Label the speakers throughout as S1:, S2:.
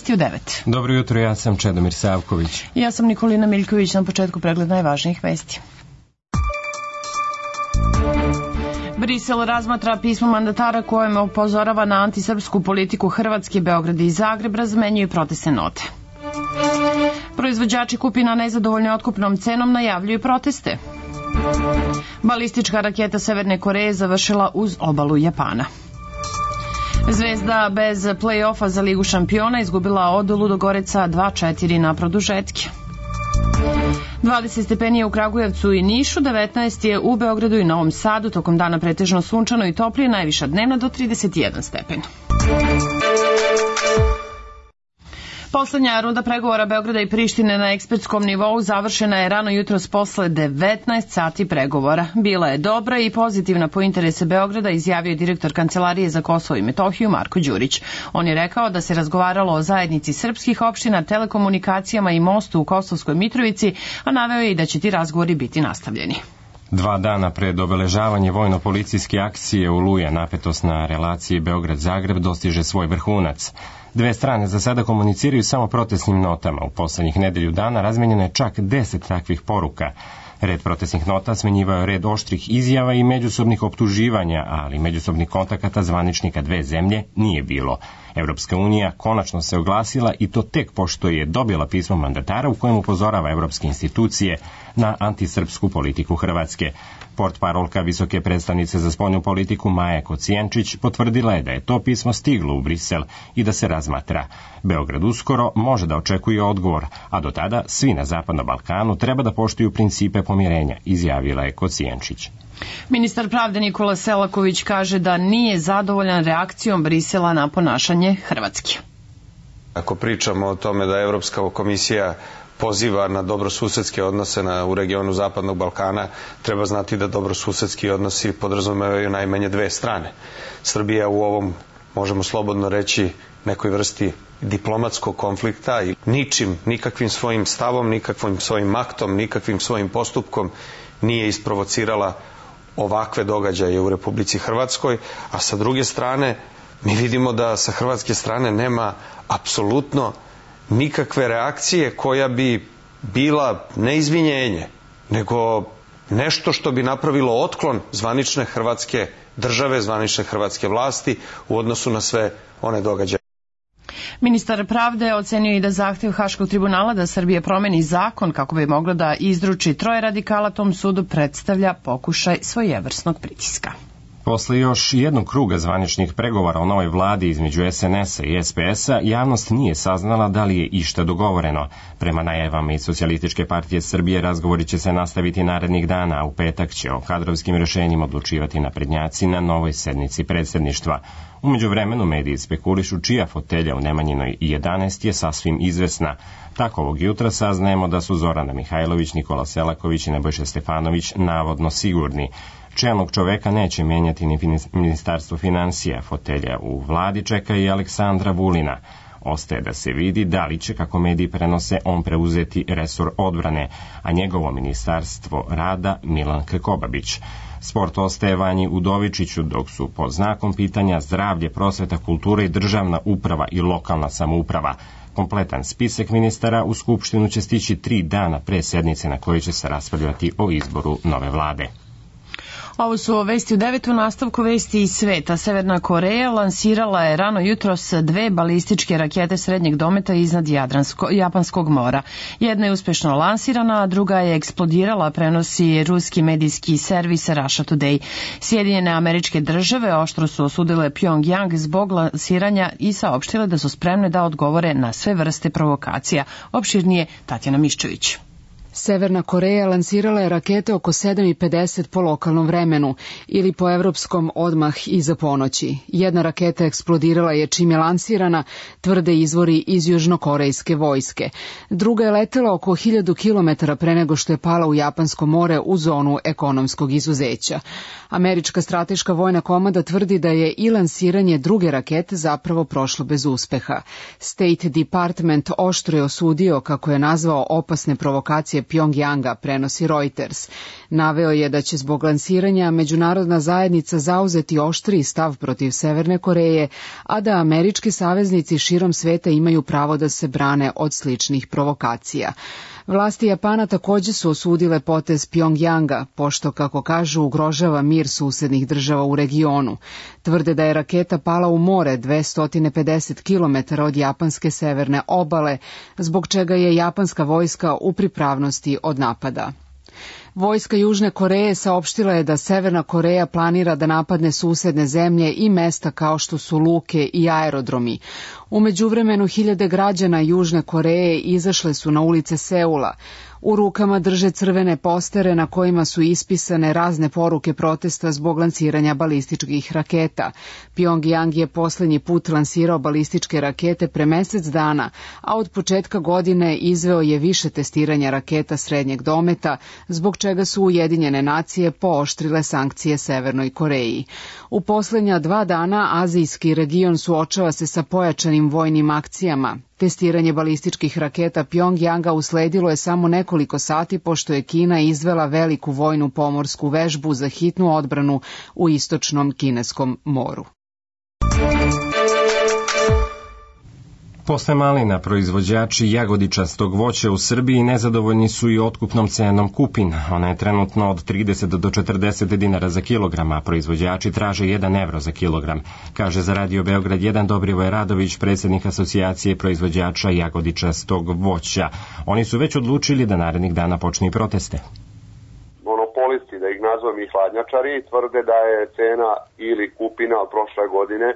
S1: vesti u 9.
S2: Dobro jutro, ja sam Čedomir Savković.
S1: Ja sam Nikolina Miljković, na početku pregled najvažnijih vesti. Brisel razmatra pismo mandatara kojem upozorava na antisrpsku politiku Hrvatske, Beograd i Zagreb, razmenjuju protestne note. Proizvođači kupina nezadovoljni otkupnom cenom najavljuju proteste. Balistička raketa Severne Koreje završila uz obalu Japana. Zvezda bez play-offa za Ligu šampiona izgubila od Ludogoreca 2-4 na produžetke. 20 stepeni je u Kragujevcu i Nišu, 19 je u Beogradu i Novom Sadu, tokom dana pretežno sunčano i toplije, najviša dnevna do 31 stepen. Poslednja runda pregovora Beograda i Prištine na ekspertskom nivou završena je rano jutros posle 19 sati pregovora. Bila je dobra i pozitivna po interese Beograda, izjavio je direktor Kancelarije za Kosovo i Metohiju Marko Đurić. On je rekao da se razgovaralo o zajednici srpskih opština, telekomunikacijama i mostu u Kosovskoj Mitrovici, a naveo je i da će ti razgovori biti nastavljeni.
S2: 2 dana pred obeležavanje vojno-policijske akcije Oluja, napetost na relaciji Beograd-Zagreb dostiže svoj vrhunac. Dve strane za sada komuniciraju samo protestnim notama. U poslednjih nedelju dana razmenjeno je čak 10 takvih poruka. Red protestnih nota smenjivao je red oštrih izjava i međusobnih optuživanja, ali međusobnih kontakata zvaničnika dve zemlje nije bilo. Evropska unija konačno se oglasila i to tek pošto je dobila pismo mandatara u kojem upozorava evropske institucije na antisrpsku politiku Hrvatske. Portparolka visoke predstavnice za spoljnu politiku Maja Kocijenčić potvrdila je da je to pismo stiglo u Brisel i da se razmatra. Beograd uskoro može da očekuje odgovor, a do tada svi na Zapadnom Balkanu treba da poštuju principe pomirenja, izjavila je Kocijenčić.
S1: Ministar pravde Nikola Selaković kaže da nije zadovoljan reakcijom Brisela na ponašanje Hrvatske.
S3: Ako pričamo o tome da Evropska komisija poziva na dobrosusedske odnose u regionu Zapadnog Balkana, treba znati da dobrosusedski odnosi podrazumevaju najmanje dve strane. Srbija u ovom, možemo slobodno reći, nekoj vrsti diplomatskog konflikta i nikakvim svojim stavom, nikakvim svojim aktom, nikakvim svojim postupkom nije isprovocirala ovakve događaje u Republici Hrvatskoj, a sa druge strane mi vidimo da sa hrvatske strane nema apsolutno nikakve reakcije koja bi bila ne izvinjenje, nego nešto što bi napravilo otklon zvanične hrvatske države, zvanične hrvatske vlasti u odnosu na sve one događaje.
S1: Ministar pravde ocenio i da zahtev Haškog tribunala da Srbija promeni zakon kako bi mogla da izruči 3 radikala tom sudu predstavlja pokušaj svojevrsnog pritiska.
S2: Posle još jednog kruga zvaničnih pregovora o novoj vladi između SNS-a i SPS-a, javnost nije saznala da li je išta dogovoreno. Prema najavama iz Socijalističke partije Srbije razgovori će se nastaviti narednih dana, a u petak će o kadrovskim rešenjima odlučivati naprednjaci na novoj sednici predsjedništva. U međuvremenu mediji spekulišu čija fotelja u Nemanjinoj 11 je sasvim izvesna. Tako ovog jutra saznajemo da su Zorana Mihajlović, Nikola Selaković i Nebojša Stefanović navodno sigurni. Čelnog čoveka neće menjati ni Ministarstvo finansija, fotelja u vladi čeka i Aleksandra Vulina. Ostaje da se vidi da li će, kako mediji prenose, on preuzeti resor odbrane, a njegovo ministarstvo rada Milan Krkobabić. Sport ostaje Vanji Udovičiću, dok su pod znakom pitanja zdravlje, prosveta, kultura i državna uprava i lokalna samouprava. Kompletan spisak ministara u Skupštinu će stići 3 dana pre sednice na kojoj će se raspravljati o izboru nove vlade.
S1: Ovo su vesti u 9. nastavku vesti iz sveta. Severna Koreja lansirala je rano jutros 2 balističke rakete srednjeg dometa iznad Japanskog mora. Jedna je uspešno lansirana, a druga je eksplodirala, prenosi ruski medijski servis Russia Today. Sjedinjene Američke Države oštro su osudile Pyongyang zbog lansiranja i saopštile da su spremne da odgovore na sve vrste provokacija. Opširnije Tatjana Miščević.
S4: Severna Koreja lansirala je rakete oko 7:50 po lokalnom vremenu ili po evropskom odmah iza ponoći. Jedna raketa eksplodirala je čim je lansirana, tvrde izvori iz južnokorejske vojske. Druga je letela oko 1000 km pre nego što je pala u Japansko more u zonu ekonomskog izuzeća. Američka strateška vojna komanda tvrdi da je i lansiranje druge rakete zapravo prošlo bez uspeha. State Department oštro je osudio, kako je nazvao, opasne provokacije odluke Pjongjanga, prenosi Reuters. Naveo je da će zbog lansiranja međunarodna zajednica zauzeti oštriji stav protiv Severne Koreje, a da američki saveznici širom sveta imaju pravo da se brane od sličnih provokacija. Vlasti Japana takođe su osudile potez Pjongjanga, pošto, kako kažu, ugrožava mir susednih država u regionu. Tvrde da je raketa pala u more 250 km od japanske severne obale, zbog čega je japanska vojska u pripravnosti od napada. Vojska Južne Koreje saopštila je da Severna Koreja planira da napadne susedne zemlje i mesta kao što su luke i aerodromi. U međuvremenu hiljade građana Južne Koreje izašle su na ulice Seula. U rukama drže crvene postere na kojima su ispisane razne poruke protesta zbog lansiranja balističkih raketa. Pjongjang je poslednji put lansirao balističke rakete pre mesec dana, a od početka godine izveo je više testiranja raketa srednjeg dometa, zbog čega su Ujedinjene nacije pooštrile sankcije Severnoj Koreji. U poslednja 2 dana azijski region suočava se sa pojačanim vojnim akcijama. Testiranje balističkih raketa Pjongjanga usledilo je samo nekoliko sati pošto je Kina izvela veliku vojnu pomorsku vežbu za hitnu odbranu u istočnom Kineskom moru.
S2: Posle malina, proizvođači jagodičastog voća u Srbiji nezadovoljni su i otkupnom cenom kupina. Ona je trenutno od 30 do 40 dinara za kilogram, a proizvođači traže 1 evro za kilogram, kaže za Radio Beograd 1 Dobrivoje Radović, predsjednik asocijacije proizvođača jagodičastog voća. Oni su već odlučili da narednih dana počnu i proteste.
S5: Monopolisti, da ih nazvam i hladnjačari, tvrde da je cena ili kupina od prošle godine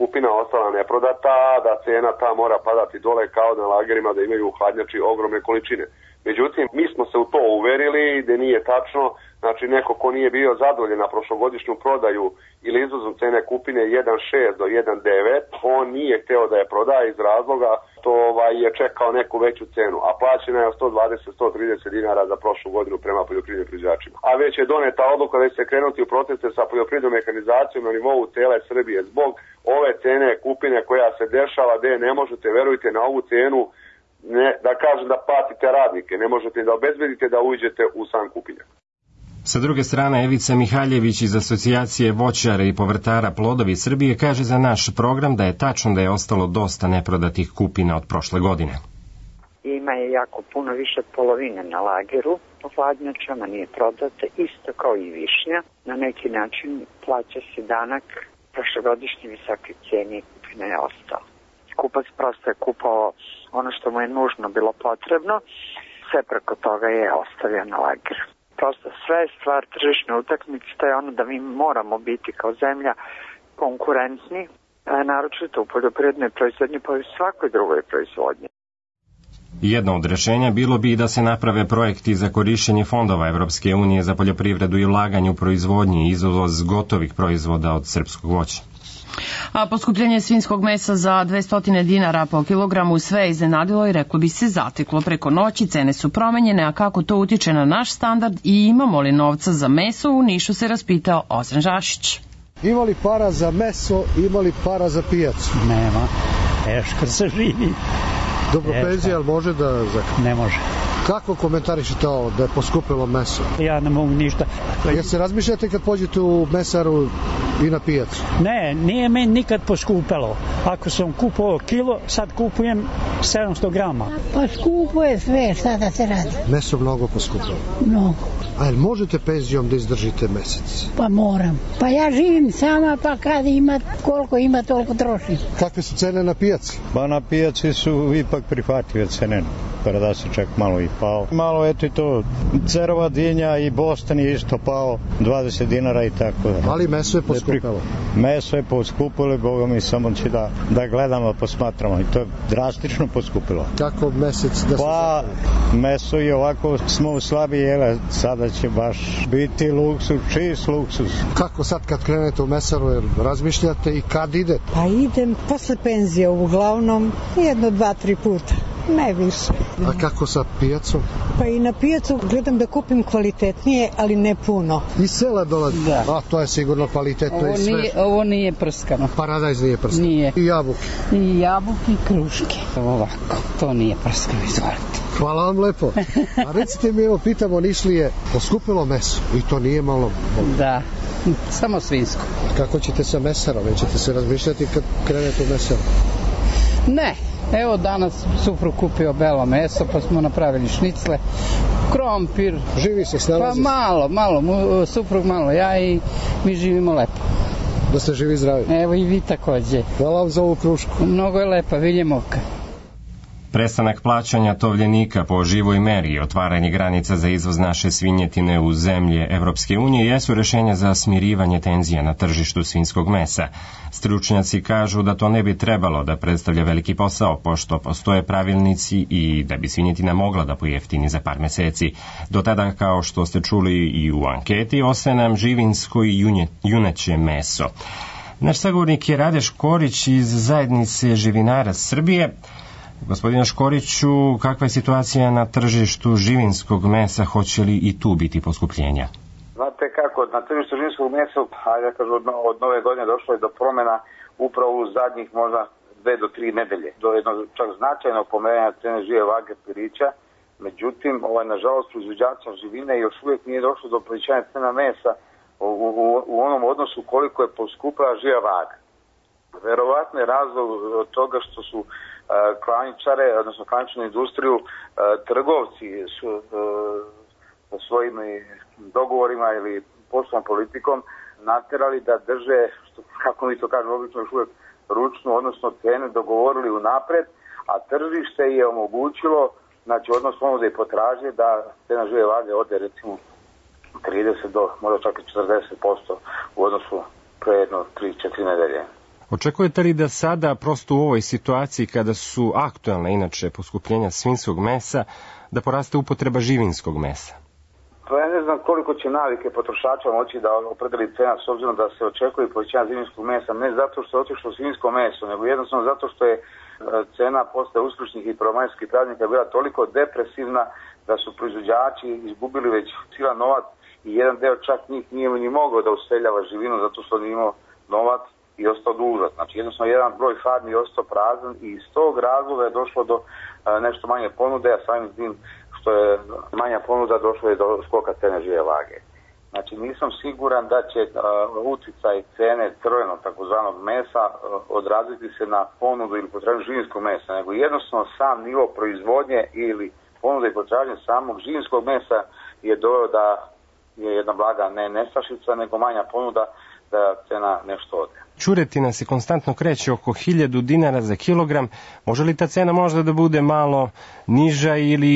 S5: kupina ostala neprodata, da cena ta mora padati dole kao na lagerima da imaju hladnjači ogromne količine. Međutim, mi smo se u to uverili da nije tačno, znači neko ko nije bio zadovoljen na prošlogodišnju prodaju ili izvozom cene kupine 1,6 do 1,9, on nije hteo da je prodaje iz razloga što je čekao neku veću cenu, a plaćena je 120-130 dinara za prošlu godinu prema poljoprivrednim proizvođačima. A već je doneta odluka da će se krenuti u proteste sa poljoprivrednom mehanizacijom na nivou cele Srbije zbog ove cene kupine koja se dešava, gde ne možete, verujte, na ovu cenu da kažem da platite radnike, ne možete da obezbedite da uđete u sam kupinjak.
S2: Sa druge strane, Evica Mihaljević iz Asocijacije voćara i povrtara Plodovi Srbije kaže za naš program da je tačno da je ostalo dosta neprodatih kupina od prošle godine.
S6: Ima je jako puno više polovine na lageru, po hladnjačama nije prodate, isto kao i višnja. Na neki način plaća se danak prošlogodišnje visoke cijene i kupina je ostala. Kupac prosto je kupao ono što mu je nužno bilo potrebno, sve preko toga je ostavio na lageru. Prosto sve je stvar tržišne utakmice, to je ono da mi moramo biti kao zemlja konkurentni, naročito u poljoprivrednoj proizvodnji, pa i u svakoj drugoj proizvodnji.
S2: Jedno od rešenja bilo bi i da se naprave projekti za korišćenje fondova Evropske unije za poljoprivredu i ulaganje u proizvodnji i izvoz gotovih proizvoda od srpskog voća.
S1: A poskupljenje svinjskog mesa za 200 dinara po kilogramu sve je iznenadilo i reklo bi se zateklo preko noći, cene su promenjene, a kako to utiče na naš standard i imamo li novca za meso, u Nišu se raspitao Ozren Žašić.
S7: Ima li para za meso, ima li para za pijacu?
S8: Nema, teško se živi.
S7: Dobro, penzija, ali može da...
S8: Ne može.
S7: Kako komentarišete ovo, da je poskupilo meso?
S8: Ja ne mogu ništa.
S7: Jel se razmišljate kad pođete u mesaru i na pijacu?
S8: Ne, nije meni nikad poskupelo. Ako sam kupovao kilo, sad kupujem 700 grama.
S9: Pa skupo je sve, šta da se radi?
S7: Meso mnogo poskupilo?
S9: Mnogo.
S7: A jel možete penzijom da izdržite mesec?
S9: Pa moram. Pa ja živim sama, pa kad ima, koliko ima, toliko trošim.
S7: Kakve su cene na pijaci?
S10: Pa na pijaci su ipak prihvatljive cene. Da se čak malo i pao. Malo eto i to, cerova dinja i Boston je isto pao, 20 dinara i tako da.
S7: Ali meso je poskupilo?
S10: Meso je poskupilo, Boga mi samo će da gledamo, posmatramo i to je drastično poskupilo.
S7: Kako mesec da se
S10: pa, meso je ovako, smo slabi jele, sada će baš biti luksuz, čist luksuz.
S7: Kako sad kad krenete u mesaru, razmišljate i kad idete?
S11: Pa idem posle penzije, uglavnom 1, 2, 3 puta. Ne više.
S7: A kako sa pijacom?
S11: Pa i na pijacu gledam da kupim kvalitetnije, ali ne puno.
S7: Iz sela dolazi?
S12: Da.
S7: A to je sigurno kvalitetno i sve.
S12: Ovo nije prskano.
S7: Paradajz nije prskano?
S12: Nije.
S7: I jabuke?
S12: I jabuke i kruške. Ovako, to nije prskano, izvolite.
S7: Hvala vam lepo. A recite mi, evo, pitamo Nišlije, poskupilo meso i to nije malo?
S12: Da, samo svinjsko.
S7: A kako ćete sa mesarom? Nećete se razmišljati kad krenete u mesaru?
S12: Ne, evo danas suprug kupio belo meso, pa smo napravili šnicle, krompir.
S7: Živi se, snalazi?
S12: Pa malo, suprug malo, ja i mi živimo lepo.
S7: Da ste živi i zdravi.
S12: Evo i vi takođe.
S7: Hvala vam za ovu krušku.
S12: Mnogo je lepa, Viljemovka.
S2: Prestanak plaćanja tovljenika po živoj meri i otvaranje granica za izvoz naše svinjetine u zemlje Evropske unije jesu rešenja za smirivanje tenzija na tržištu svinjskog mesa. Stručnjaci kažu da to ne bi trebalo da predstavlja veliki posao, pošto postoje pravilnici i da bi svinjetina mogla da pojeftini za par meseci. Do tada, kao što ste čuli i u anketi, ostaje nam živinsko i juneće meso. Naš sagovornik je Rade Škorić iz Zajednice živinara Srbije. Gospodine Škoriću, kakva je situacija na tržištu živinskog mesa, hoće li i tu biti poskupljenja?
S13: Znate kako, na tržištu živinskog mesa, od nove godine došlo je do promjena upravo u zadnjih možda 2 do 3 nedelje. Do jednog čak značajnog pomeranja cene žive vage pirića, međutim, nažalost, proizvođača živine još uvijek nije došlo do povećanja cena mesa u onom odnosu koliko je poskupila živa vaga. Verovatno je razlog od toga što su klaničare, odnosno klaničnu industriju, trgovci su svojim dogovorima ili poslovnom politikom naterali da drže, kako mi to kažemo obično, još uvijek ručnu, odnosno cene dogovorili unapred, a tržište je omogućilo, znači odnos ponude i potražnje, da cena žive vage ode recimo 30 do možda čak i 40% u odnosu pre jedno 3-4 nedelje.
S2: Očekujete li da sada, prosto u ovoj situaciji kada su aktualne inače poskupljenja svinjskog mesa, da poraste upotreba živinskog mesa?
S13: Pa ja ne znam koliko će navike potrošača moći da opredeli cena, s obzirom da se očekuje povećanje svinjskog mesa, ne zato što je otišlo svinjsko meso, nego jednostavno zato što je cena posle uskršnjih i prvomajskih praznika bila toliko depresivna da su proizvođači izgubili već silan novac i jedan deo čak njih nije ni mogao da useljava živinu zato što nije imao novac i ostao dužan. Znači jednostavno jedan broj farmi je ostao prazan i iz tog razloga je došlo do nešto manje ponude, a samim tim što je manja ponuda došlo je do skoka cene žive vage. Znači nisam siguran da će uticaj cene crvenog takozvanog mesa odraziti se na ponudu ili potražnju živinskog mesa, nego jednostavno sam nivo proizvodnje ili ponuda i potražnje samog živinskog mesa je doveo da je jedna blaga ne nestašica, nego manja ponuda da cena nešto ode.
S2: Ćuretina se konstantno kreće oko 1000 dinara za kilogram. Može li ta cena možda da bude malo niža ili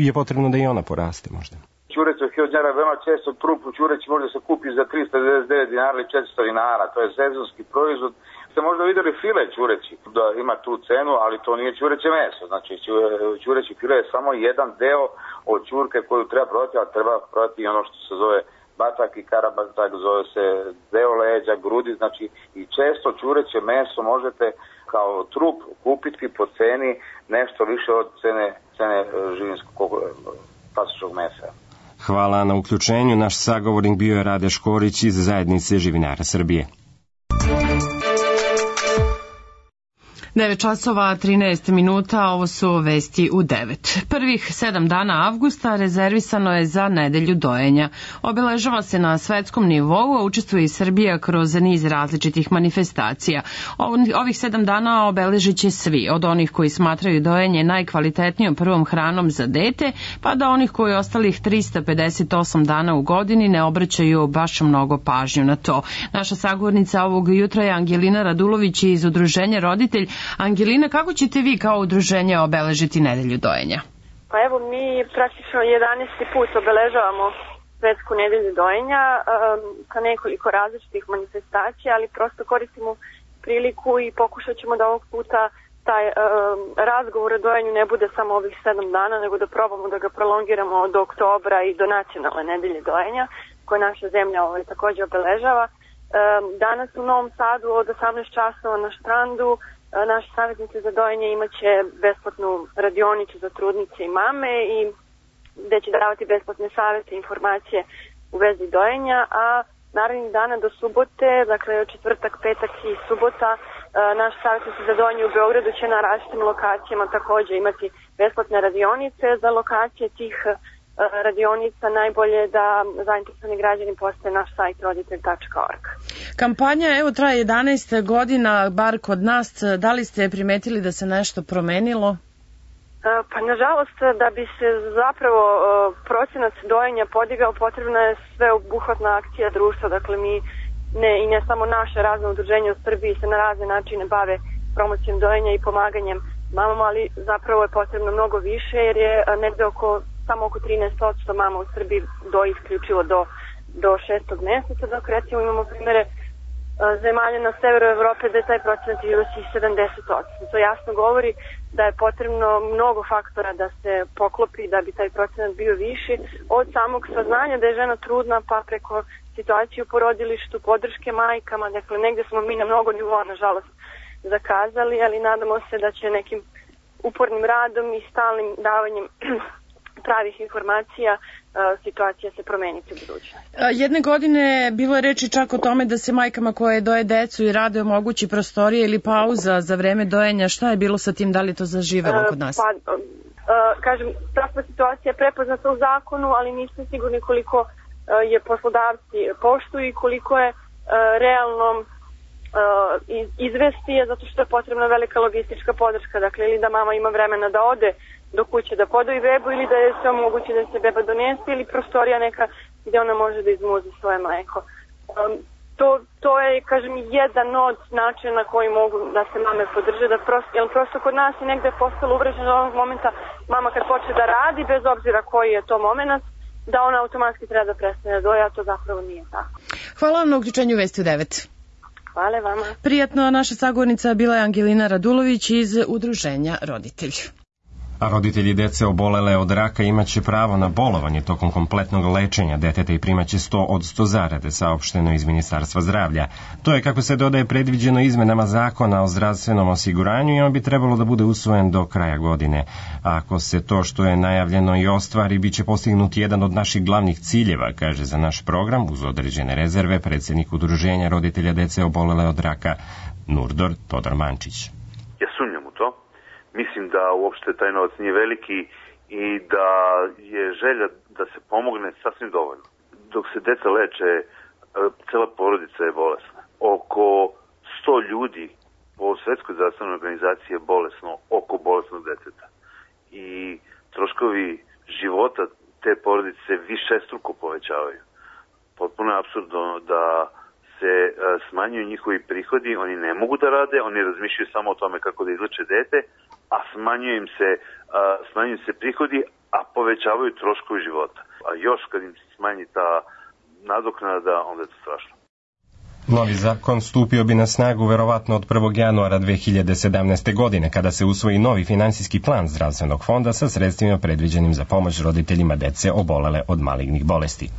S2: je potrebno da i ona poraste možda?
S13: Ćureć od 1000 dinara veoma često trupu ćureć može se kupi za 399 dinara ili 400 dinara. To je sezonski proizvod. Ste možda vidjeli file ćureći da ima tu cenu, ali to nije ćureće meso. Znači ćureći file je samo jedan deo od ćurke koju treba prodati, ali treba prodati i ono što se zove batak i karabatak, zove se deo leđa, grudi, znači i često ćureće meso možete kao trup kupiti po ceni nešto više od cene živinskog klasičnog mesa.
S2: Hvala na uključenju. Naš sagovornik bio je Rade Škorić iz Zajednice živinara Srbije.
S1: 9 časova 13 minuta, ovo su vesti u 9. Prvih 7 dana avgusta rezervisano je za nedelju dojenja. Obeležava se na svetskom nivou, a učestvuje i Srbija kroz niz različitih manifestacija. Ovih 7 dana obeležit će svi, od onih koji smatraju dojenje najkvalitetnijom prvom hranom za dete, pa do onih koji ostalih 358 dana u godini ne obraćaju baš mnogo pažnju na to. Naša sagovornica ovog jutra je Angelina Radulović iz Udruženja Roditelj. Angelina, kako ćete vi kao udruženje obeležiti nedelju dojenja?
S14: Pa evo, mi praktično 11. put obeležavamo svetsku nedelju dojenja ka nekoliko različitih manifestacija, ali prosto koristimo priliku i pokušat ćemo da ovog puta taj razgovor o dojenju ne bude samo ovih 7 dana, nego da probamo da ga prolongiramo do oktobra i do nacionalne nedelje dojenja, koje naša zemlja također obeležava. Danas u Novom Sadu od 18 časova na štrandu naši savjetnici za dojenje imaće besplatnu radionicu za trudnice i mame i gde će davati besplatne savjete i informacije u vezi dojenja, a narednih dana do subote, dakle četvrtak, petak i subota, Naš savjetnici za dojenje u Beogradu će na različitim lokacijama takođe imati besplatne radionice. Za lokacije tih radionica najbolje da zainteresovani građani postave naš sajt roditelj.org.
S1: Kampanja evo traje 11 godina, bar kod nas. Da li ste primetili da se nešto promenilo?
S14: Pa nažalost, da bi se zapravo procenat dojenja podigao, potrebna je sveobuhvatna akcija društva. Dakle, mi i ne samo naše razne udruženje u Srbiji se na razne načine bave promocijom dojenja i pomaganjem mamama, ali zapravo je potrebno mnogo više, jer je negde samo oko 13% mama u Srbiji doji isključivo do 6. meseca, dok recimo imamo primere zemalja na severu Evrope da je taj procenat iznosi 70%. To jasno govori da je potrebno mnogo faktora da se poklopi da bi taj procenat bio viši, od samog saznanja da je žena trudna pa preko situaciju u porodilištu, podrške majkama. Dakle, negde smo mi na mnogo nivoa, nažalost, zakazali, ali nadamo se da će nekim upornim radom i stalnim davanjem pravih informacija situacija se promeniti u budućnosti.
S1: Jedne godine bilo je reči čak o tome da se majkama koje doje decu i rade omogući prostorije ili pauza za vreme dojenja. Šta je bilo sa tim? Da li to zaživelo kod nas?
S14: Kažem, takva situacija je prepoznata u zakonu, ali nisam sigurni koliko je poslodavci poštuju i koliko je realno izvesti je, zato što je potrebna velika logistička podrška. Dakle, ili da mama ima vremena da ode do kuće da podoji bebu, ili da je se omogući da se beba donese, ili prostorija neka gde ona može da izmuzi svoje mleko. To je, kažem, jedan od načina na koji mogu da se mame podrže, jer prosto kod nas je negde postalo uvreženo od ovog momenta mama kad počne da radi, bez obzira koji je to moment, da ona automatski treba da prestane da doje, a to zapravo nije tako.
S1: Hvala vam na uključenju Vesti u 9.
S14: Hvala vama.
S1: Prijatno, naša sagovornica bila je Angelina Radulović iz Udruženja Roditelj.
S2: A roditelji dece obolele od raka imaće pravo na bolovanje tokom kompletnog lečenja deteta i primaće 100 od 100 zarade, saopšteno iz Ministarstva zdravlja. To je, kako se dodaje, predviđeno izmenama zakona o zdravstvenom osiguranju i on bi trebalo da bude usvojen do kraja godine. A ako se to što je najavljeno i ostvari, bit će postignut jedan od naših glavnih ciljeva, kaže za naš program, uz određene rezerve, predsjednik Udruženja roditelja dece obolele od raka Nurdor Todor Mančić.
S15: Ja sumnjam u to. Mislim da uopšte taj novac nije veliki i da je želja da se pomogne sasvim dovoljno. Dok se deca leče, cela porodica je bolesna. Oko 100 ljudi po Svetskoj zdravstvenoj organizaciji je bolesno oko bolesnog deteta. I troškovi života te porodice višestruko povećavaju. Potpuno je apsurdno da se smanjuju njihovi prihodi, oni ne mogu da rade, oni razmišljaju samo o tome kako da izleče dete, a smanjuju se prihodi, a povećavaju troškovi života. A još kad im se smanji ta nadoknada, onda je to strašno.
S2: Novi zakon stupio bi na snagu verovatno od 1. januara 2017. godine, kada se usvoji novi finansijski plan zdravstvenog fonda sa sredstvima predviđenim za pomoć roditeljima dece obolele od malignih bolesti.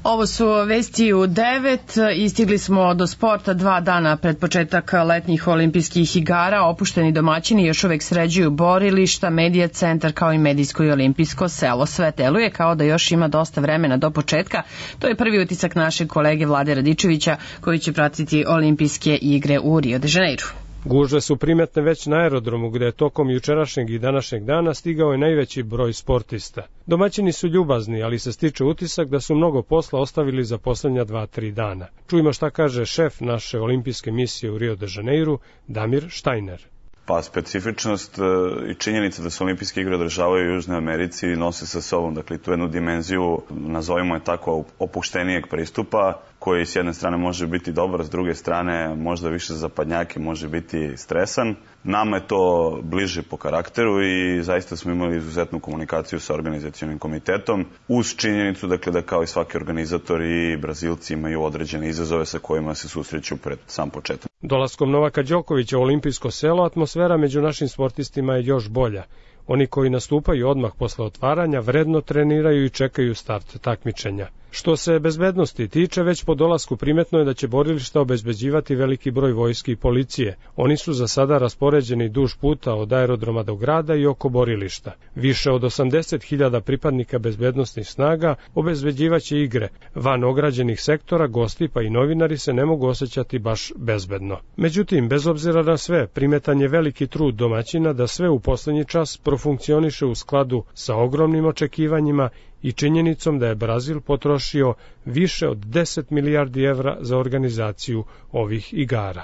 S1: Ovo su Vesti u 9. Istigli smo do sporta 2 dana pred početak letnjih olimpijskih igara. Opušteni domaćini još uvek sređuju borilišta, medija centar kao i medijsko i olimpijsko selo. Sve deluje kao da još ima dosta vremena do početka. To je prvi utisak našeg kolege Vlade Radičevića koji će pratiti olimpijske igre u Rio de Janeiro.
S16: Gužve su primetne već na aerodromu, gde je tokom jučerašnjeg i današnjeg dana stigao je najveći broj sportista. Domaćini su ljubazni, ali se stiče utisak da su mnogo posla ostavili za poslednja 2-3 dana. Čujmo šta kaže šef naše olimpijske misije u Rio de Janeiro, Damir Štajner.
S17: Pa specifičnost i činjenica da se olimpijske igre održavaju u Južnoj Americi nose sa sobom, dakle, tu jednu dimenziju, nazovimo je tako, opuštenijeg pristupa, koji s jedne strane može biti dobar, s druge strane možda više zapadnjaki, može biti stresan. Nama je to bliže po karakteru i zaista smo imali izuzetnu komunikaciju sa organizacionim komitetom, uz činjenicu, dakle, da kao i svaki organizator i Brazilci imaju određene izazove sa kojima se susreću pred sam početak.
S16: Dolaskom Novaka Đokovića u olimpijsko selo, atmosfera među našim sportistima je još bolja. Oni koji nastupaju odmah posle otvaranja vredno treniraju i čekaju start takmičenja. Što se bezbednosti tiče, već po dolasku primetno je da će borilišta obezbeđivati veliki broj vojski i policije. Oni su za sada raspoređeni duž puta od aerodroma do grada i oko borilišta. Više od 80.000 pripadnika bezbednosnih snaga obezbeđivaće igre. Van ograđenih sektora, gosti pa i novinari se ne mogu osjećati baš bezbedno. Međutim, bez obzira na sve, primetan je veliki trud domaćina da sve u poslednji čas profunkcioniše u skladu sa ogromnim očekivanjima i činjenicom da je Brazil potrošio više od 10 milijardi evra za organizaciju ovih igara.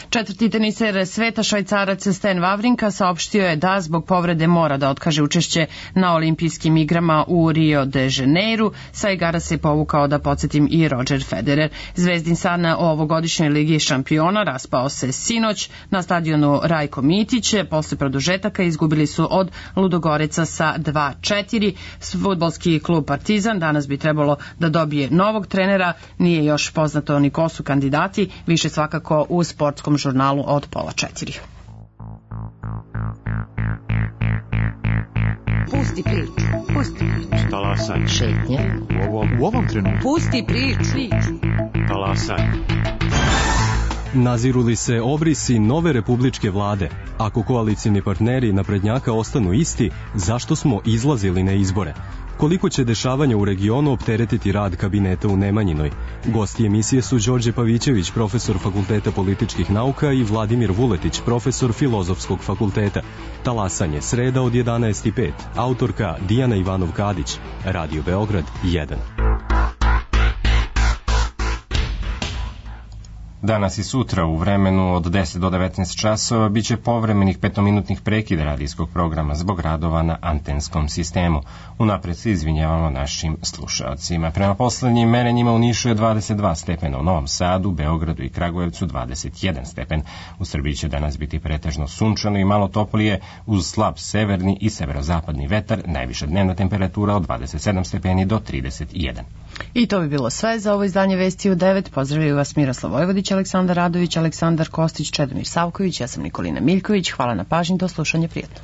S1: Četvrti teniser sveta, Švajcarac Stan Wawrinka, saopštio je da zbog povrede mora da otkaže učešće na olimpijskim igrama u Rio de Janeiru. Sa igara se povukao, da podsjetim, i Roger Federer. Zvezdin san o ovogodišnjoj ligi šampiona raspao se sinoć na stadionu Rajko Mitić. Posle produžetaka izgubili su od Ludogoreca sa 2-4. Fudbalski klub Partizan danas bi trebalo da dobije novog trenera. Nije još poznato ni ko su kandidati, više svakako u sportskom žurnalu od 3:30.
S18: Pusti priču, pusti priču.
S19: Talasaj.
S18: Šetnje.
S19: U ovom trenutku.
S18: Pusti priču.
S19: Talasaj.
S20: Naziru li se obrisi nove republičke vlade? Ako koalicijni partneri naprednjaka ostanu isti, zašto smo izlazili na izbore? Koliko će dešavanja u regionu opteretiti rad kabineta u Nemanjinoj? Gosti emisije su Đorđe Pavićević, profesor Fakulteta političkih nauka, i Vladimir Vuletić, profesor Filozofskog fakulteta. Talasanje, sreda od 11:05. Autorka Dijana Ivanov-Kadić. Radio Beograd 1.
S2: Danas i sutra u vremenu od 10 do 19 časova biće povremenih 5-minutnih prekida radijskog programa zbog radova na antenskom sistemu. Unapred se izvinjavamo našim slušalcima. Prema poslednjim merenjima u Nišu je 22 stepena, u Novom Sadu, Beogradu i Kragujevcu 21 stepen. U Srbiji će danas biti pretežno sunčano i malo toplije uz slab severni i severozapadni vetar, najviša dnevna temperatura od 27 stepeni do 31.
S1: I to bi bilo sve za ovo izdanje Vesti u 9. Pozdravljaju vas Miroslav Vojvodić, Aleksandar Radović, Aleksandar Kostić, Čedomir Savković, ja sam Nikolina Miljković. Hvala na pažnji, do slušanja, prijatno.